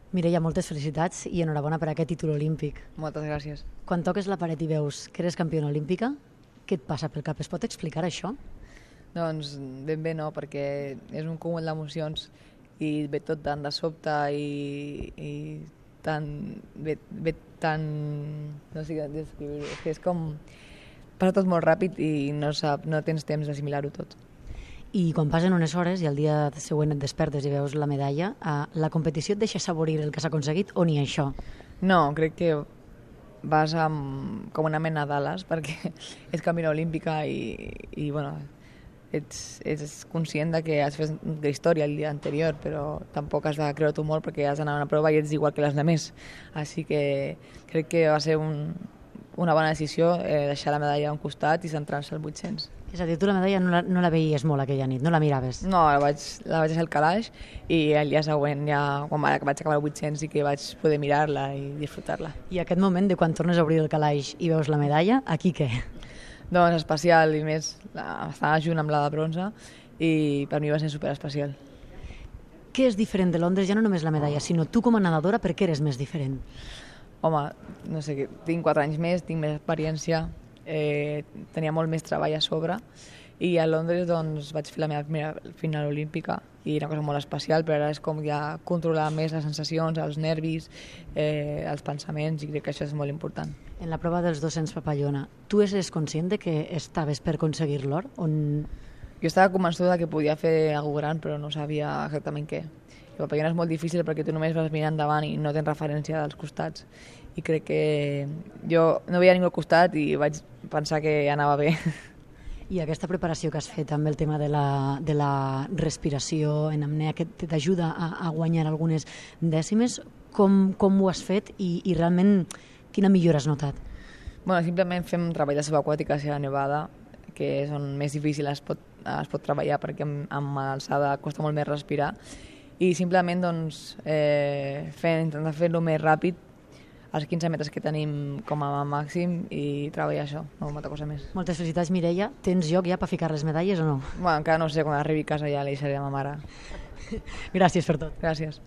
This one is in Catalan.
Mireia, moltes felicitats i enhorabona per aquest títol olímpic. Moltes gràcies. Quan toques la paret i veus que eres campiona olímpica, què et passa pel cap? Es pot explicar això? Doncs ben bé no, perquè és un cúmul d'emocions i ve tot tan de sobte i ve tan... no sé què descriure, és que és com... passa tot molt ràpid i no tens temps d'assimilar-ho tot. I quan passen unes hores i al dia següent et despertes i veus la medalla, la competició et deixa saborir el que s'ha aconseguit o ni això? No, crec que vas com una mena d'ales perquè ets campiona olímpica i bueno, ets conscient de que has fet història el dia anterior, però tampoc has de creure-t'ho molt perquè has d'anar a una prova i ets igual que les altres. Així que crec que va ser una bona decisió deixar la medalla a un costat i centrar-se al 800. És a dir, tu la medalla no la veies molt aquella nit, no la miraves? No, la vaig deixar al calaix i el dia següent, quan vaig acabar el 800, sí que vaig poder mirar-la i disfrutar-la. I aquest moment de quan tornes a obrir el calaix i veus la medalla, aquí què? Doncs especial, i més, estava junt amb la de bronze i per mi va ser superespecial. Què és diferent de Londres? Ja no només la medalla, sinó tu com a nedadora, per què eres més diferent? Home, no sé, tinc 4 anys més, tinc més experiència, tenia molt més treball a sobre i a Londres doncs, vaig fer la meva primera final olímpica i era una cosa molt especial, però ara és com ja controlar més les sensacions, els nervis, els pensaments, i crec que això és molt important. En la prova dels 200 papallona, tu eres conscient de que estaves per aconseguir l'or? Jo estava convençuda que podia fer alguna gran, però no sabia exactament què. El papallona és molt difícil perquè tu només vas mirant endavant i no tens referència dels costats. I crec que jo no veia ningú al costat i vaig pensar que anava bé. I aquesta preparació que has fet amb el tema de la respiració en apnea, que t'ajuda a guanyar algunes dècimes, com ho has fet i realment quina millora has notat? Bueno, simplement fem treball de subaquàtica a Sierra Nevada, que és on més difícil es pot treballar perquè amb l'alçada costa molt més respirar, i simplement doncs, intentar fer-lo més ràpid als 15 metres que tenim com a màxim i treballar això, no molta cosa més. Moltes felicitats, Mireia. Tens lloc ja per ficar les medalles o no? Bueno, encara no sé, quan arribi a casa ja li deixaré a ma mare. Gràcies per tot. Gràcies.